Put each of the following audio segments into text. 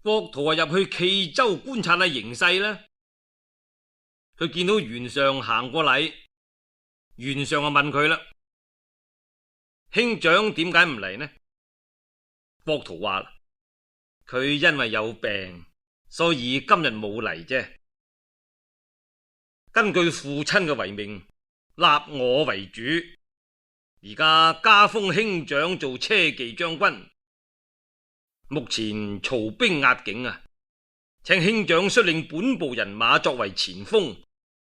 郭圖入去冀州觀察下形勢啦。佢見到袁尚行過嚟，袁尚就問佢啦：兄長點解唔嚟呢？郭圖話：佢因為有病，所以今日冇嚟啫。根據父親嘅遺命，立我為主，而家加封兄長做車騎將軍。目前曹兵壓境啊，請兄長率領本部人馬作為前鋒，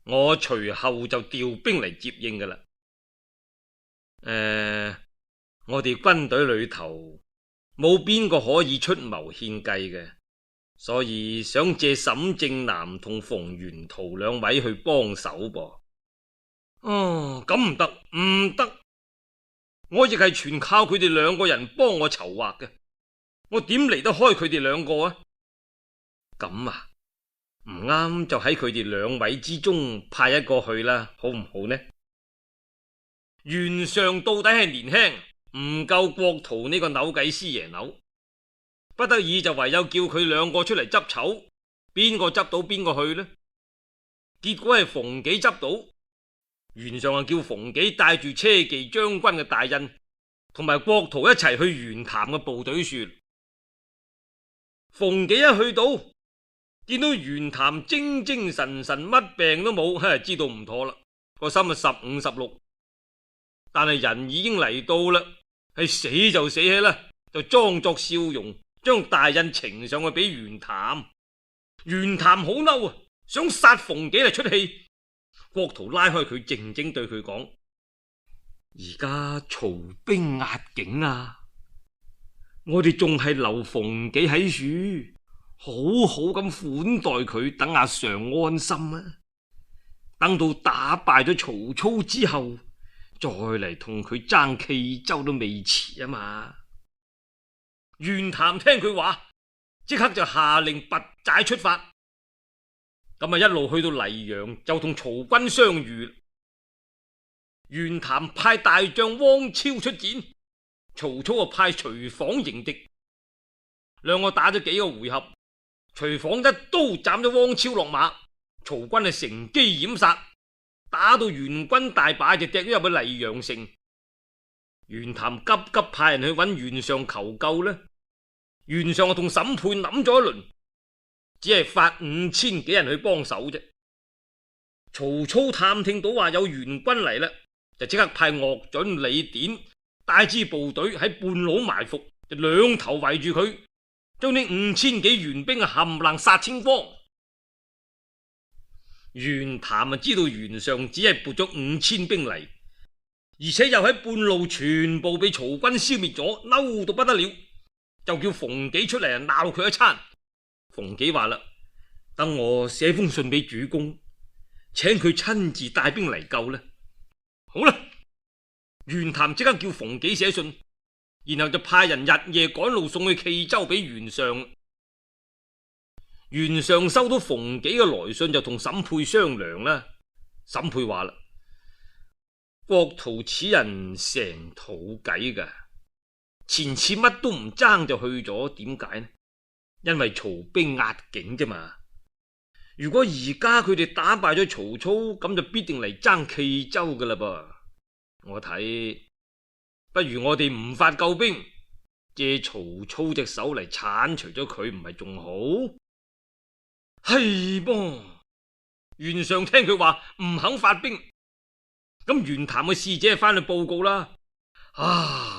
我隨後就調兵嚟接應噶啦。我哋軍隊裏頭冇邊個可以出謀獻計嘅，所以想借沈正南同馮元圖兩位去幫手噃。哦，咁唔得，唔得，我亦係全靠佢哋兩個人幫我籌劃嘅，我點離得開佢哋兩個啊？咁啊，唔啱就喺佢哋兩位之中派一個去啦，好唔好呢？袁尚到底係年輕，唔夠郭圖呢個扭計師爺扭，不得已就唯有叫佢兩個出嚟執籌，邊個執到邊個去呢？結果係馮紀執到，袁尚就叫馮紀帶住車騎將軍嘅大印同埋郭圖一齊去袁譚嘅部隊處。馮紀一去到，見到袁譚精精神神，乜病都冇，知道唔妥啦，個心啊15、16。但係人已經嚟到啦，係死就死起啦，就裝作笑容，將大印呈上去俾袁譚。袁譚好嬲啊，想殺馮紀嚟出氣。郭圖拉開佢，靜靜對佢講：而家曹兵壓境啊，我哋仲係留馮紀喺處，好好咁款待佢，等阿常安心啊。等到打敗咗曹操之後，再嚟同佢爭冀州都未遲啊嘛。袁譚聽佢話，即刻就下令拔寨出發。咁啊，一路去到黎陽就同曹軍相遇。袁譚派大將汪超出戰，曹操啊派徐晃迎敵。兩個打咗幾個回合，徐晃一刀斬咗汪超落馬，曹軍啊乘機掩殺，打到袁軍大敗就掟咗入去黎陽城。袁譚急急派人去揾袁尚求救呢。袁尚啊同沈沛諗咗一輪，只係發5000幾人去幫手啫。曹操探聽到話有袁軍嚟啦，就即刻派岳準、李典帶支部隊喺半路埋伏，就兩頭圍住佢，將呢5000幾袁兵啊冚唪唥殺清光。袁譚啊知道袁尚只係撥咗5000兵嚟，而且又喺半路全部被曹軍消滅咗，嬲到不得了，就叫馮紀出嚟啊鬧佢一餐。馮紀話啦：等我寫封信俾主公，請佢親自帶兵嚟救呢。好啦，袁譚即刻叫馮紀寫信，然後就派人日夜趕路送去冀州俾袁尚。袁尚收到馮紀嘅來信，就同沈沛商量啦。沈沛話啦：郭圖此人成肚計噶，前次乜都唔爭就去咗，點解呢？因為曹兵壓境啫嘛。如果而家佢哋打敗咗曹操，咁就必定嚟爭冀州噶啦噃。我睇不如我哋唔發救兵，借曹操隻手嚟鏟除咗佢，唔係仲好？係噃。袁尚聽佢話唔肯發兵，咁袁譚嘅使者翻去報告啦。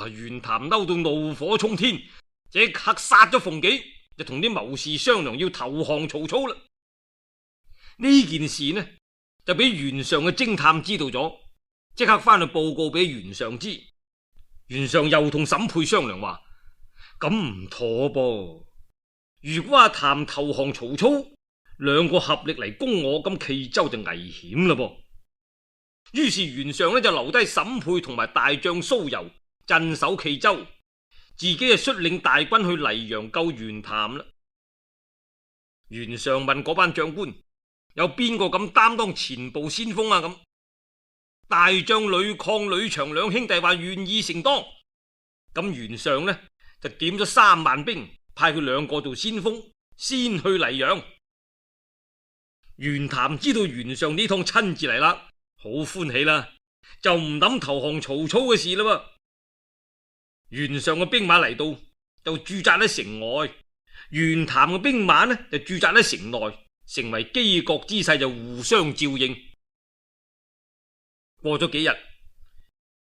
袁譚嬲到怒火沖天，即刻殺咗馮紀，就同啲謀士商量要投降曹操啦。呢件事呢就俾袁尚嘅偵探知道咗，即刻翻去報告俾袁尚知。袁尚又同沈沛商量話：咁唔妥噃，如果阿譚投降曹操，兩個合力嚟攻我，咁冀州就危險啦噃。於是袁尚呢就留低沈沛同埋大將蘇柔鎮守冀州，自己就率領大軍去黎陽救袁譚啦。袁尚問嗰班將官：有邊個敢擔當前部先鋒啊？咁大將呂曠、呂長兩兄弟話願意承當。咁袁尚呢就點咗3萬兵，派佢兩個做先鋒，先去黎陽。袁譚知道袁尚呢趟親自嚟啦，好歡喜啦，就唔諗投降曹操嘅事啦。袁尚嘅兵馬嚟到就駐紮喺城外，袁譚嘅兵馬呢就駐紮喺城內，成為羈角之勢，就互相照應。過咗幾日，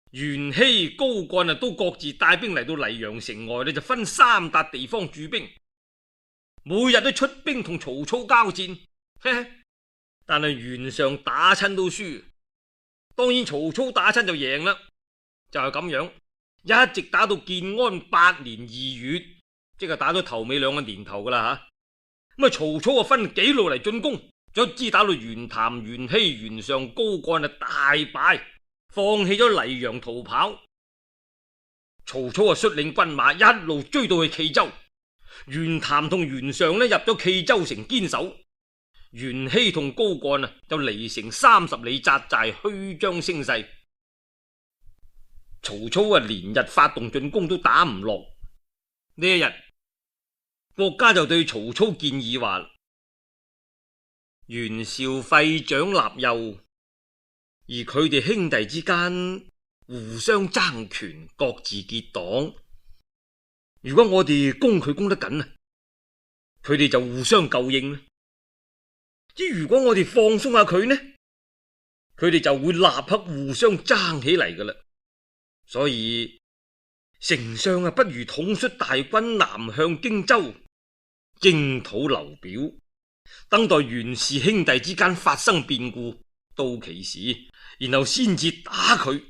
袁熙、高幹都各自帶兵嚟到黎陽城外呢，就分三笪地方駐兵，每日都出兵同曹操交戰。但係袁尚打親都輸，當然曹操打親就贏啦，就係咁樣，一直打到建安8年2月，即係打咗頭尾2個年頭噶啦吓。咁曹操分幾路嚟進攻，卒之打到袁譚、袁熙、袁尚、高幹大敗，放棄咗黎陽逃跑。曹操率領軍馬一路追到去冀州，袁譚同袁尚入咗冀州城堅守，袁熙同高幹就離城30里紮寨，虛張聲勢。曹操連日發動進攻都打唔落。呢一日，郭嘉就對曹操建議話：袁紹廢長立幼，而佢哋兄弟之間互相爭權，各自結黨。如果我哋攻佢攻得緊，佢哋就互相救應。即如果我哋放鬆下佢呢，佢哋就會立刻互相爭起嚟噶啦。所以丞相不如統率大軍南向荊州，征討劉表，等待袁氏兄弟之間發生變故，到其時然後先至打佢，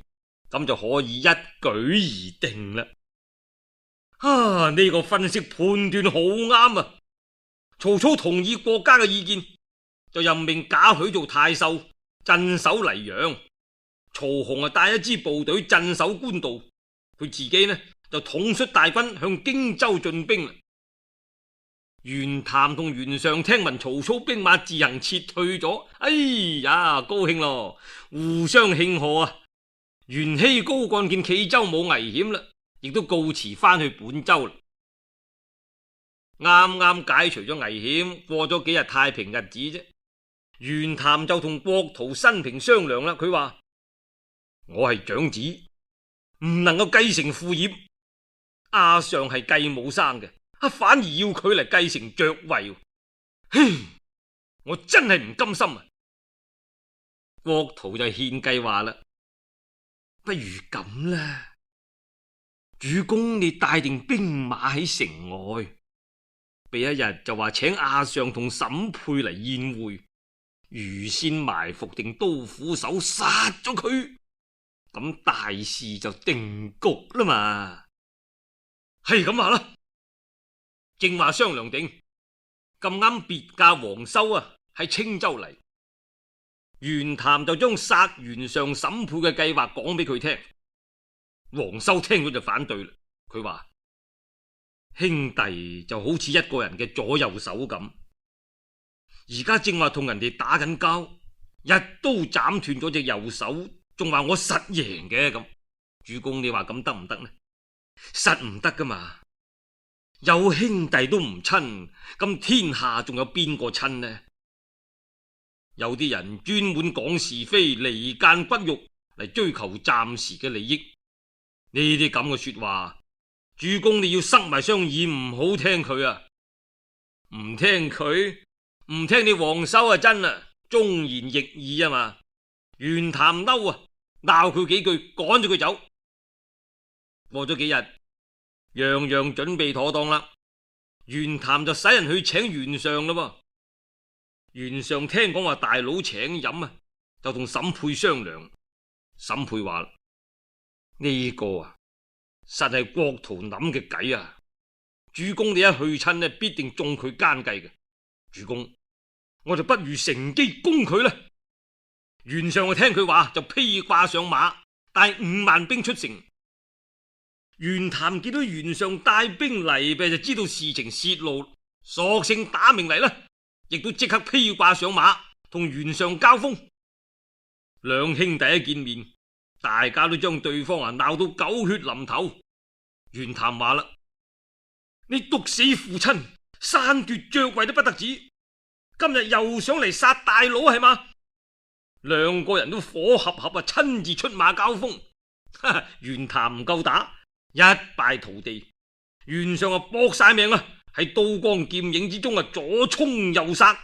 咁就可以一舉而定啦。呢個分析判斷好啱啊！曹操同意郭嘉嘅意見，就任命賈詡做太守，鎮守黎陽。曹洪帶一支部隊鎮守官渡，佢自己呢就統率大軍向荊州進兵。袁譚同袁尚聽聞曹操兵馬自行撤退咗，哎呀，高興咯，互相慶賀啊！袁熙、高幹見冀州冇危險啦，亦都告辭翻去本州啦。啱啱解除咗危險，過咗幾日太平日子啫。袁譚就同郭圖、辛平商量啦，佢話：我係長子，唔能夠繼承父業，阿尚係繼母生嘅，反而要佢嚟繼承爵位，我真係唔甘心啊！郭圖就獻計話啦：不如咁啦，主公你帶定兵馬喺城外，俾一日就話請阿尚同審配嚟宴會，預先埋伏定刀斧手殺咗佢，咁大事就定局啦嘛。係咁話啦，正話商量定，咁啱別駕黃修喺青州嚟，袁譚就將殺袁尚審配嘅計劃講俾佢聽。黃修聽咗就反對啦，佢話：兄弟就好似一個人嘅左右手咁，而家正話同人哋打緊交，一刀斬斷咗隻右手，仲話我實贏嘅咁。主公你話咁得唔得呢？實唔得噶嘛，有兄弟都唔親，咁天下仲有邊個親呢？有啲人專門講是非，離間骨肉嚟追求暫時嘅利益，呢啲咁嘅說話，主公你要塞埋雙耳，唔好聽佢啊！唔聽佢，唔聽你黃修啊，真啊，忠言逆耳啊嘛！袁譚嬲啊，鬧佢幾句，趕咗佢走。過咗幾日，樣樣準備妥當啦，袁譚就使人去請袁尚啦。袁尚聽講話大佬請飲啊，就同審配商量。審配話：呢個實係郭圖諗嘅計啊！主公你一去親呢，必定中佢奸計嘅。主公，我就不如乘機攻佢啦。袁尚就聽佢話，就披掛上馬，帶5萬兵出城。袁譚見到袁尚帶兵嚟，就知道事情泄露，索性打命嚟啦，亦都即刻披掛上馬同袁尚交鋒。兩兄弟一見面，大家都將對方鬧到狗血淋頭。袁譚話啦：你毒死父親，篡奪爵位都不得止，今日又想嚟殺大佬係嘛？兩個人都火合合啊，親自出馬交鋒。袁譚唔夠打，一敗塗地。袁尚啊搏晒命啊，喺刀光劍影之中啊左衝右殺，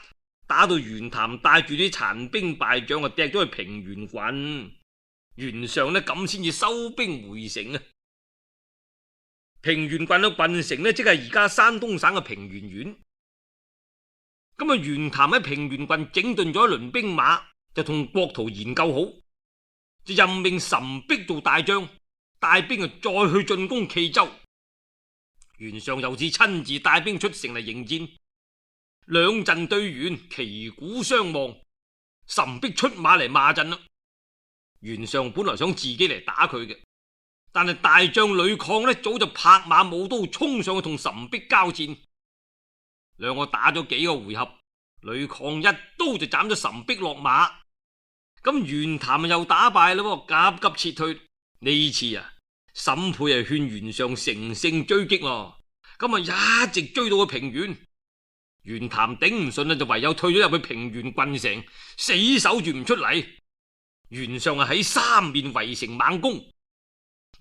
打到袁譚帶住啲殘兵敗將啊掟咗去平原郡。袁尚呢咁先至收兵回城啊。平原郡嘅郡城呢，即係而家山東省嘅平原縣。咁啊，袁譚喺平原郡整頓咗一輪兵馬，就同郭圖研究好，就任命岑璧做大將，帶兵啊再去進攻冀州。袁尚又是親自帶兵出城嚟迎戰，兩陣對完，旗鼓相望，岑璧出馬嚟罵陣啦。袁尚本來想自己嚟打佢嘅，但係大將呂曠呢早就拍馬舞刀衝上去同岑璧交戰。兩個打咗幾個回合，呂曠一刀就斬咗岑璧落馬。咁袁譚又打敗啦，急急撤退。呢次啊，沈沛係勸袁尚乘勝追擊咯。咁啊一直追到去平原，袁譚頂唔順啦，就唯有退咗入去平原郡城，死守住唔出嚟。袁尚啊喺三面圍城猛攻。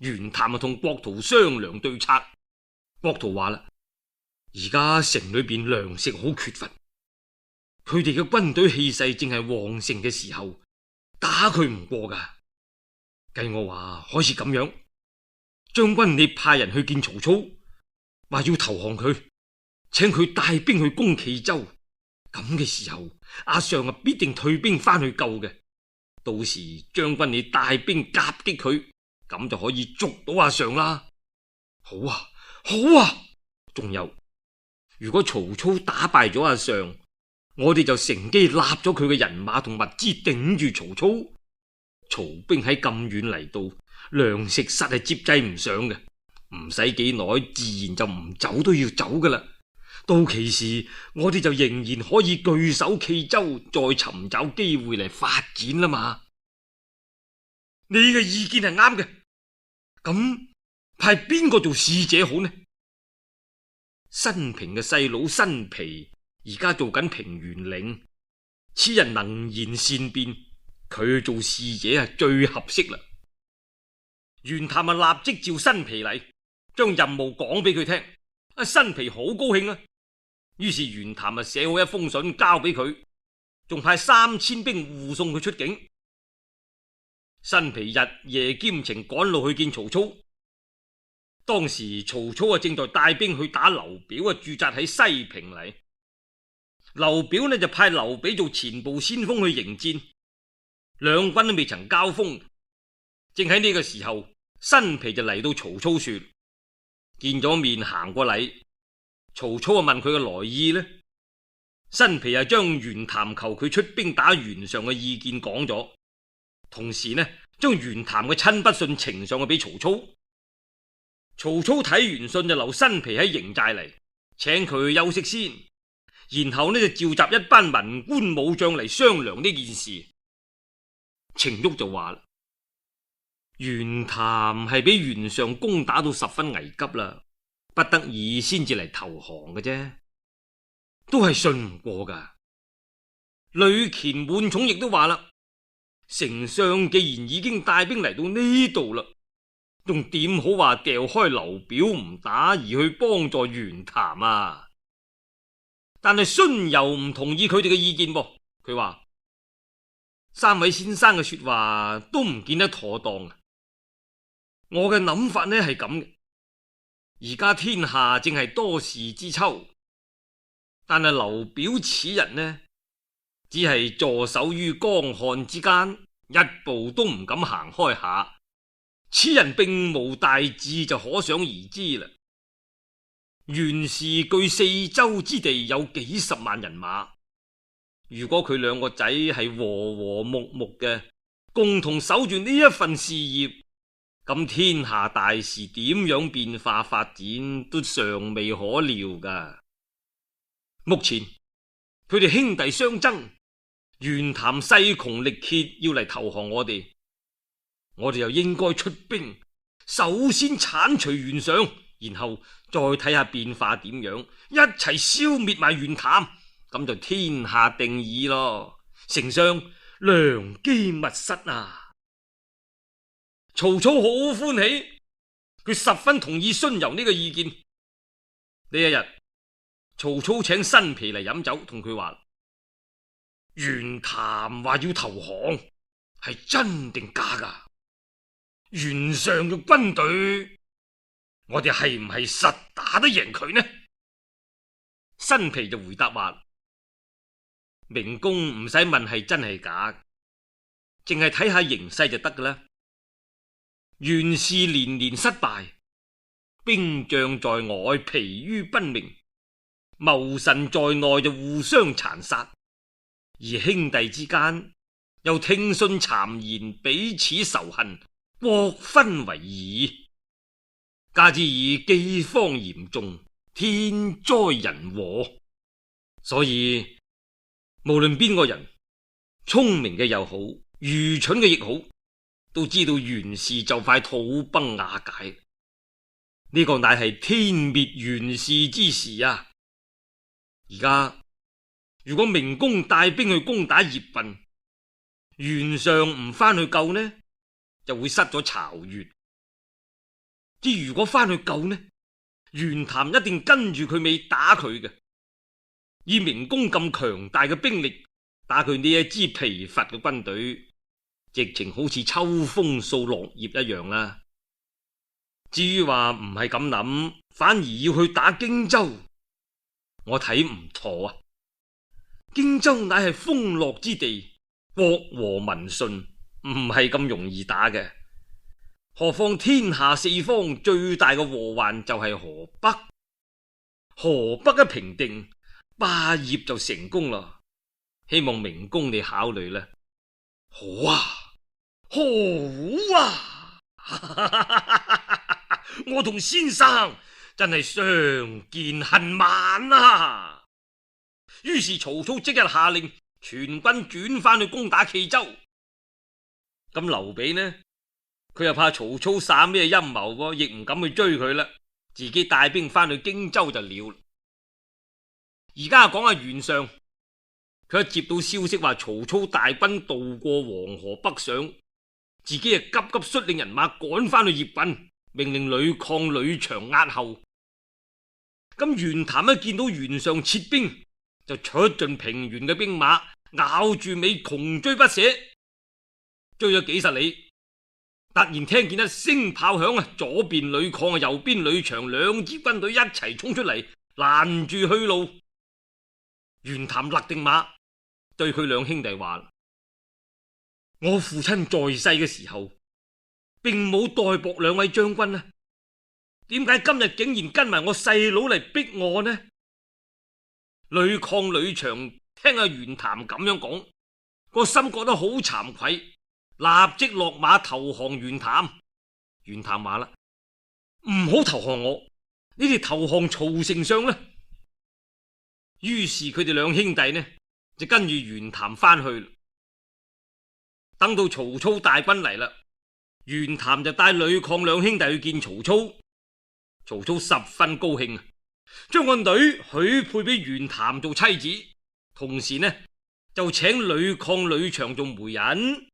袁譚啊同郭圖商量對策。郭圖話啦，而家城裏邊糧食好缺乏，佢哋嘅軍隊氣勢正係旺盛嘅時候，打佢唔過噶。計我話可以咁樣，將軍你派人去見曹操，話要投降佢，請佢帶兵去攻冀州。咁嘅時候，阿尚啊必定退兵翻去救嘅。到時將軍你帶兵夾擊佢，咁就可以捉到阿尚啦。好啊，好啊。仲有，如果曹操打敗咗阿尚，我哋就乘機立咗佢嘅人馬同物資頂住曹操。曹兵喺咁遠嚟到，糧食實係接濟唔上嘅，唔使幾耐，自然就唔走都要走噶啦。到其時，我哋就仍然可以據守冀州，再尋找機會嚟發展啦嘛。你嘅意見係啱嘅，咁派邊個做使者好呢？新平嘅細佬新皮而家做緊平原令，此人能言善辯，佢做使者係最合適啦。袁譚啊立即召新皮嚟，將任務講俾佢聽。新皮好高興啊，於是袁譚啊寫好一封信交俾佢，仲派3000兵護送佢出境。新皮日夜兼程趕路去見曹操。當時曹操啊正在帶兵去打劉表啊駐紮喺西平嚟。劉表呢就派劉備做前部先鋒去迎戰，兩軍都未曾交鋒。正喺呢個時候，新皮就嚟到曹操說，見咗面行過禮。曹操啊問佢嘅來意呢，新皮啊將袁譚求佢出兵打袁尚嘅意見講咗，同時呢將袁譚嘅親筆信呈上去俾曹操。曹操睇完信就留新皮喺營寨嚟，請佢休息先，然後呢就召集一班文官武將嚟商量呢件事。程昱就話啦，袁譚係俾袁尚攻打到十分危急啦，不得已先至嚟投降嘅啫，都係信唔過噶。呂虔滿寵亦都話啦，丞相既然已經帶兵嚟到呢度啦，仲點好話掉開劉表唔打而去幫助袁譚啊？但係荀攸唔同意佢哋嘅意見噃，佢話三位先生嘅說話都唔見得妥當啊。我嘅諗法呢係咁嘅，而家天下正係多事之秋，但係劉表此人呢，只係坐守於江漢之間，一步都唔敢行開下。此人並無大志，就可想而知啦。袁氏據四周之地有幾十萬人馬，如果佢兩個仔係和和睦睦嘅，共同守住呢一份事業，咁天下大事點樣變化發展都尚未可料噶。目前佢哋兄弟相爭，袁譚勢窮力竭，要嚟投降我哋又應該出兵，首先鏟除袁尚，然後再睇下變化點樣，一齊消滅埋袁譚，咁就天下定矣咯。丞相良機密失啊！曹操好歡喜，佢十分同意荀攸呢個意見。呢一日，曹操請新皮嚟飲酒，同佢話：袁譚話要投降，係真定假噶？袁尚嘅軍隊，我哋係唔係實打得贏佢呢？新皮就回答話：明公唔使問係真係假，淨係睇下形勢就得噶啦。袁氏連連失敗，兵將在外疲於奔命，謀臣在內就互相殘殺，而兄弟之間又聽信讒言，彼此仇恨，國分為二。加之以饑荒嚴重，天災人禍，所以無論邊個人，聰明嘅又好，愚蠢嘅亦好，都知道袁氏就快土崩瓦解。呢個乃係天滅袁氏之時啊！而家如果明公帶兵去攻打鄴郡，袁尚唔翻去救呢，就會失咗巢穴。之如果翻去救呢，袁譚一定跟住佢尾打佢嘅。以明公咁強大嘅兵力打佢呢一支疲乏嘅軍隊，直情好似秋風掃落葉一樣啦。至於話唔係咁諗，反而要去打荊州，我睇唔妥啊！荊州乃係豐樂之地，國和民順，唔係咁容易打嘅。何況天下四方最大嘅禍患就係河北，河北一平定，霸業就成功啦。希望明公你考慮啦。好啊，好啊！我同先生真係相見恨晚啊！於是曹操即日下令全軍轉翻去攻打冀州。咁劉備呢？佢又怕曹操耍咩陰謀，亦唔敢去追佢啦，自己帶兵翻去荊州就了。而家講下袁尚，佢一接到消息話曹操大軍渡過黃河北上，自己啊急急率領人馬趕翻去鄴郡，命令呂曠、呂祥押後。咁袁譚一見到袁尚撤兵，就出盡平原嘅兵馬，咬住尾窮追不捨，追咗幾十里。突然聽見一聲炮響啊！左邊呂曠啊，右邊呂祥兩支軍隊一齊衝出嚟，攔住去路。袁譚勒定馬，對佢兩兄弟話：我父親在世嘅時候，並冇代薄兩位將軍啊，點解今日竟然跟埋我細佬嚟逼我呢？呂曠、呂祥聽阿袁譚咁樣講，個心覺得好慚愧，立即落馬投降袁譚。袁譚話啦：唔好投降我，你哋投降曹丞相啦。於是佢哋兩兄弟呢就跟住袁譚翻去。等到曹操大軍嚟啦，袁譚就帶呂曠兩兄弟去見曹操。曹操十分高興，將個女許配俾袁譚做妻子，同時呢就請呂曠、呂祥做媒人。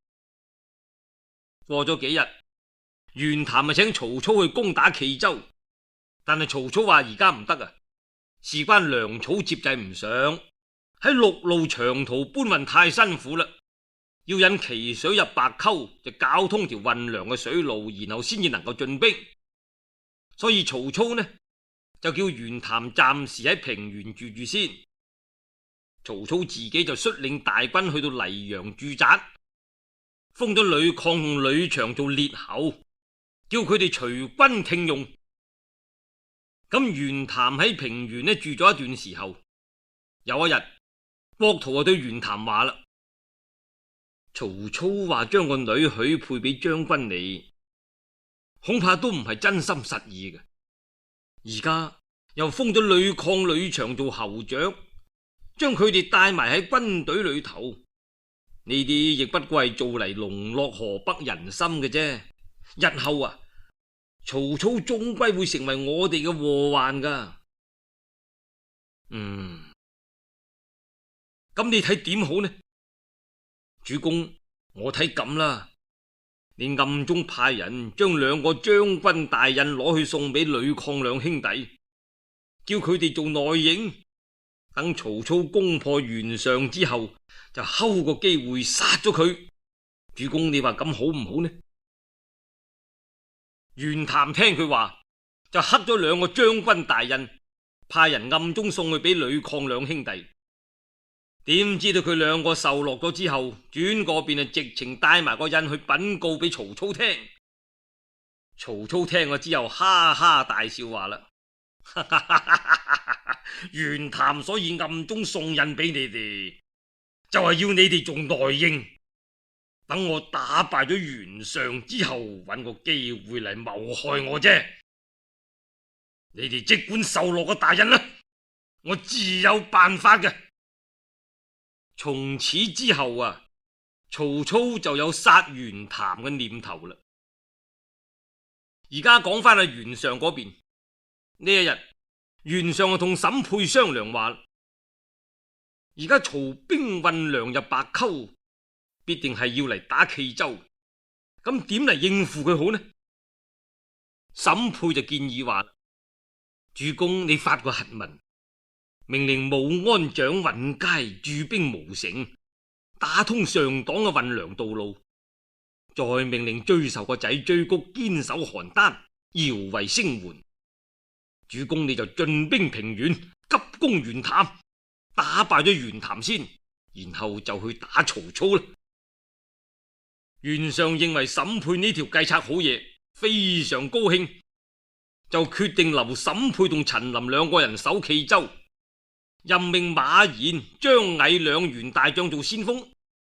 過咗幾日，袁譚咪請曹操去攻打冀州，但係曹操話而家唔得啊，事關糧草接濟唔上，喺陸路長途搬運太辛苦啦，要引淇水入白溝，就搞通條運糧嘅水路，然後先至能夠進兵。所以曹操呢就叫袁譚暫時喺平原住住先。曹操自己就率領大軍去到黎陽駐紮，封咗呂曠同呂祥做列侯，叫佢哋隨軍聽用。咁袁譚喺平原呢住咗一段時候，有一日郭圖就對袁譚話啦：曹操話將個女許配俾將軍你，恐怕都唔係真心實意嘅。而家又封咗呂曠、呂祥做侯長，將佢哋帶埋喺軍隊裏頭，呢啲亦不過係做嚟籠絡河北人心嘅啫。日後啊，曹操終歸會成為我哋嘅禍患噶。咁你睇點好呢？主公，我睇咁啦，你暗中派人將兩個將軍大印攞去送俾呂曠兩兄弟，叫佢哋做內應，等曹操攻破袁尚之後，就睺個機會殺咗佢。主公，你話咁好唔好呢？袁譚聽佢話，就刻咗兩個將軍大印，派人暗中送去俾呂曠兩兄弟。點知道佢兩個受落咗之後，轉嗰邊直情帶埋個印去稟告俾曹操聽。曹操聽咗之後，哈哈大笑話啦：袁譚所以暗中送印俾你哋，就係要你哋做內應，等我打敗咗袁尚之後，揾個機會嚟謀害我啫。你哋即管受落個大印啦，我自有辦法嘅。從此之後啊，曹操就有殺袁譚嘅念頭啦。而家講翻去袁尚嗰邊，呢一日袁尚就同沈沛商量話，而家曹兵運糧入白溝，必定係要嚟打冀州，咁點嚟應付佢好呢？沈沛就建議話，主公你發個檄文，命令武安長尹佳駐兵無城，打通上黨嘅運糧道路，再命令追仇個仔追谷堅守邯鄲，搖為聲援。主公你就進兵平原，急攻袁譚，打敗咗袁譚先，然後就去打曹操啦。袁尚認為沈沛呢條計策好嘢，非常高興，就決定留沈沛同陳琳兩個人守冀州，任命馬延、張毅兩員大將做先鋒，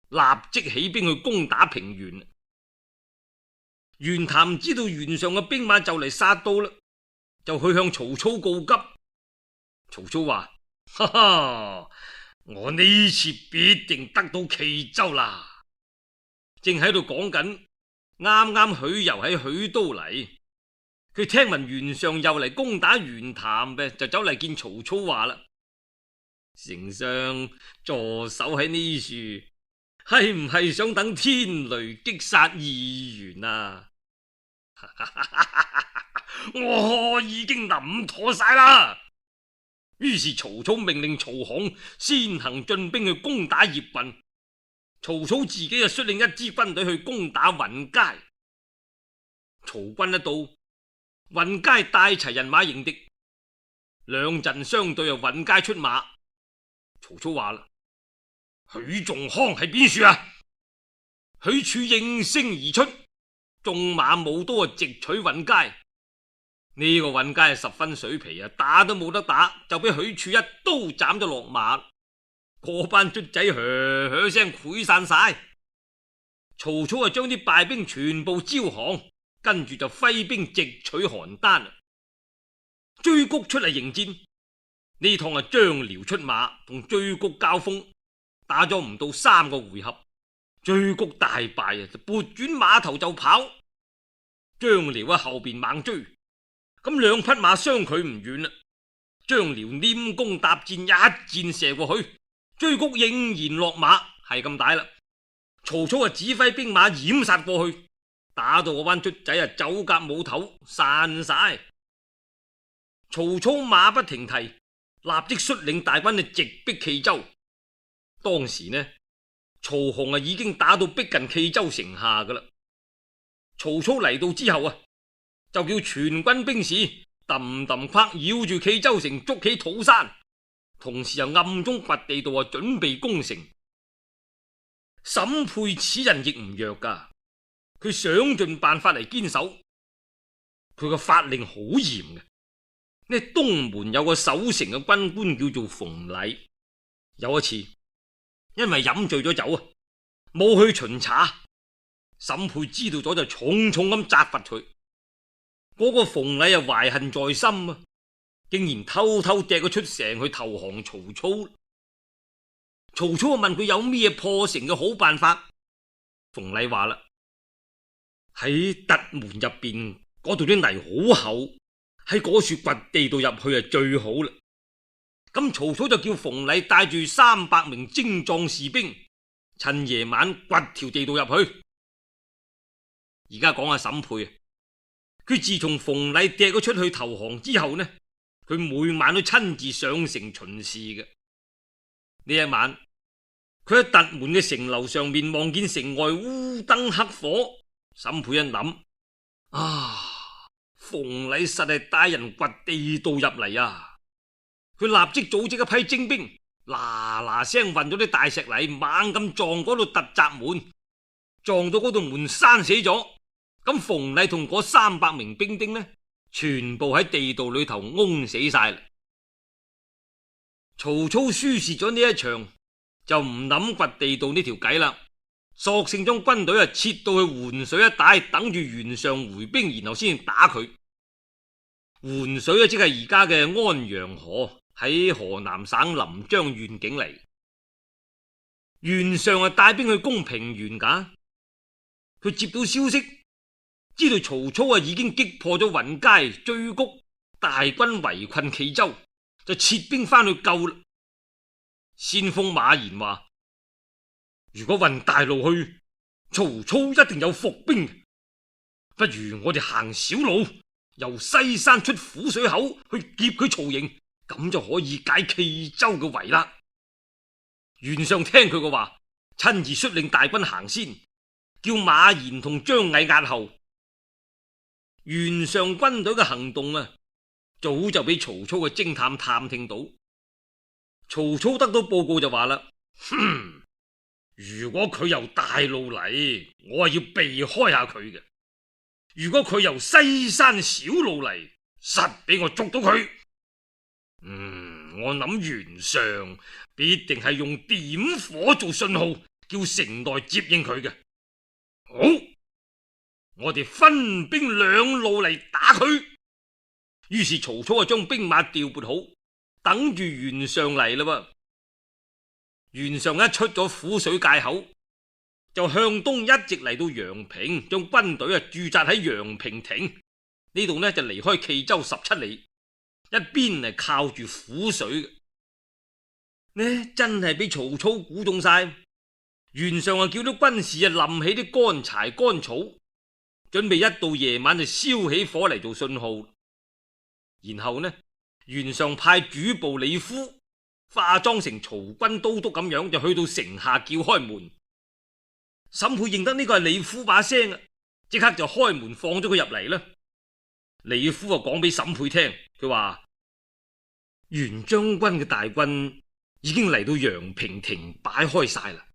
立即起兵去攻打平原。袁譚知道袁尚嘅兵馬就嚟殺到啦，就去向曹操告急。曹操話：哈哈，我呢次必定得到冀州啦！正喺度講緊，啱啱許攸喺許都嚟，佢聽聞袁尚又嚟攻打袁譚嘅，就走嚟見曹操話啦：丞相助手喺呢處，係唔係想等天雷擊殺義元啊？我已經諗妥晒啦。於是曹操命令曹洪先行進兵去攻打葉郡，曹操自己就率領一支軍隊去攻打尹佳。曹軍一到，尹佳帶齊人馬迎敵，兩陣相對，尹佳出馬。曹操話啦：許仲康喺邊處啊？許褚應聲而出，縱馬舞刀直取尹佳。呢個尹佳係十分水皮啊，打都冇得打，就俾許褚一刀斬咗落馬。嗰班卒仔噓噓聲潰散晒。曹操就將啲敗兵全部招降，跟住就揮兵直取邯鄲。追谷出嚟迎戰，呢趟係張遼出馬同追谷交鋒，打咗唔到3個回合，追谷大敗啊，就撥轉馬頭就跑。張遼喺後邊猛追，咁兩匹馬相距唔遠啦。張遼拈弓搭箭，一箭射過去，追谷應然落馬，係咁大啦。曹操啊指揮兵馬掩殺過去，打到嗰班卒仔啊走夾冇頭，散晒。曹操馬不停蹄，立即率領大軍去直逼冀州。當時呢，曹洪啊已經打到逼近冀州城下噶啦。曹操嚟到之後啊，就叫全軍兵士揼揼跨繞住冀州城捉起土山，同時又暗中掘地道啊準備攻城。沈沛此人亦唔弱噶，佢想盡辦法嚟堅守。佢個法令好嚴嘅。呢東門有個守城嘅軍官叫做馮禮，有一次因為飲醉咗酒啊，冇去巡查。沈沛知道咗就重重咁責罰佢。嗰個馮禮啊懷恨在心啊，竟然偷偷掟佢出城去投降曹操。曹操問佢有咩破城嘅好辦法，馮禮話啦：喺突門入邊嗰度啲泥好厚，喺嗰處掘地道入去係最好啦。咁曹操就叫馮禮帶住300名精壯士兵，趁夜晚掘條地道入去。而家講下沈沛啊，佢自從馮禮掟咗出去投降之後呢，佢每晚都親自上城巡視嘅。呢一晚，佢喺突門嘅城樓上面望見城外烏燈黑火，沈沛一諗啊，馮禮實係帶人掘地道入嚟啊！佢立即組織一批精兵，嗱嗱聲運咗啲大石泥，猛咁撞嗰度突襲門，撞到嗰度門閂死咗。咁馮禮同嗰300名兵丁呢，全部喺地道裏頭嗡死晒啦。曹操輸蝕咗呢一場，就唔諗掘地道呢條計啦，索性將軍隊撤到去洹水一帶，等住袁紹回兵，然後先打佢。洹水即係而家嘅安陽河，喺河南省臨漳縣境嚟。袁紹帶兵去攻平原噶，佢接到消息，知道曹操已經擊破咗雲階、雉谷，大軍圍困冀州，就撤兵翻去救啦。先鋒馬延話：如果運大路去，曹操一定有伏兵，不如我哋行小路，由西山出滏水口去劫佢曹營，咁就可以解冀州嘅圍啦。袁紹聽佢嘅話，親自率領大軍行先，叫馬延同張毅押後。袁紹軍隊嘅行動啊，早就俾曹操嘅偵探探聽到。曹操得到報告就話啦：如果佢由大路嚟，我係要避開下佢嘅；如果佢由西山小路嚟，實俾我捉到佢。我諗袁紹必定係用點火做信號，叫城內接應佢嘅。好，我哋分兵2路嚟打佢。於是曹操就將兵馬調撥好，等住袁紹嚟啦。袁紹一出咗滏水界口，就向東一直嚟到陽平，將軍隊駐紮喺陽平亭呢度呢，就離開冀州17里，一邊係靠住滏水嘅。呢真係俾曹操估中晒。袁紹啊，叫啲軍士啊冧起啲乾柴乾草，準備一到夜晚就燒起火嚟做信號。然後呢，袁紹派主簿李夫化妝成曹軍都督咁樣，就去到城下叫開門。沈沛認得呢個係李夫把聲啊，即刻就開門放咗佢入嚟啦。李夫啊講俾沈沛聽，佢話袁將軍嘅大軍已經嚟到陽平亭擺開晒啦，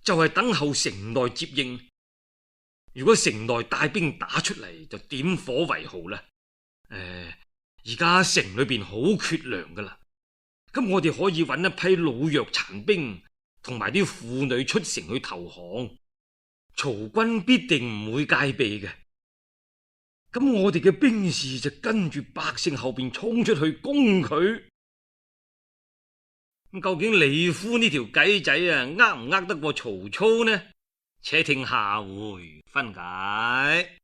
就係等候城內接應。如果城內帶兵打出嚟，就點火為號啦。而家城裏邊好缺糧噶啦，咁我哋可以揾一批老弱殘兵同埋啲婦女出城去投降，曹軍必定唔會戒備嘅。咁我哋嘅兵士就跟住百姓後邊衝出去攻佢。咁究竟李夫呢條計仔啊，呃唔呃得過曹操呢？且聽下回分解。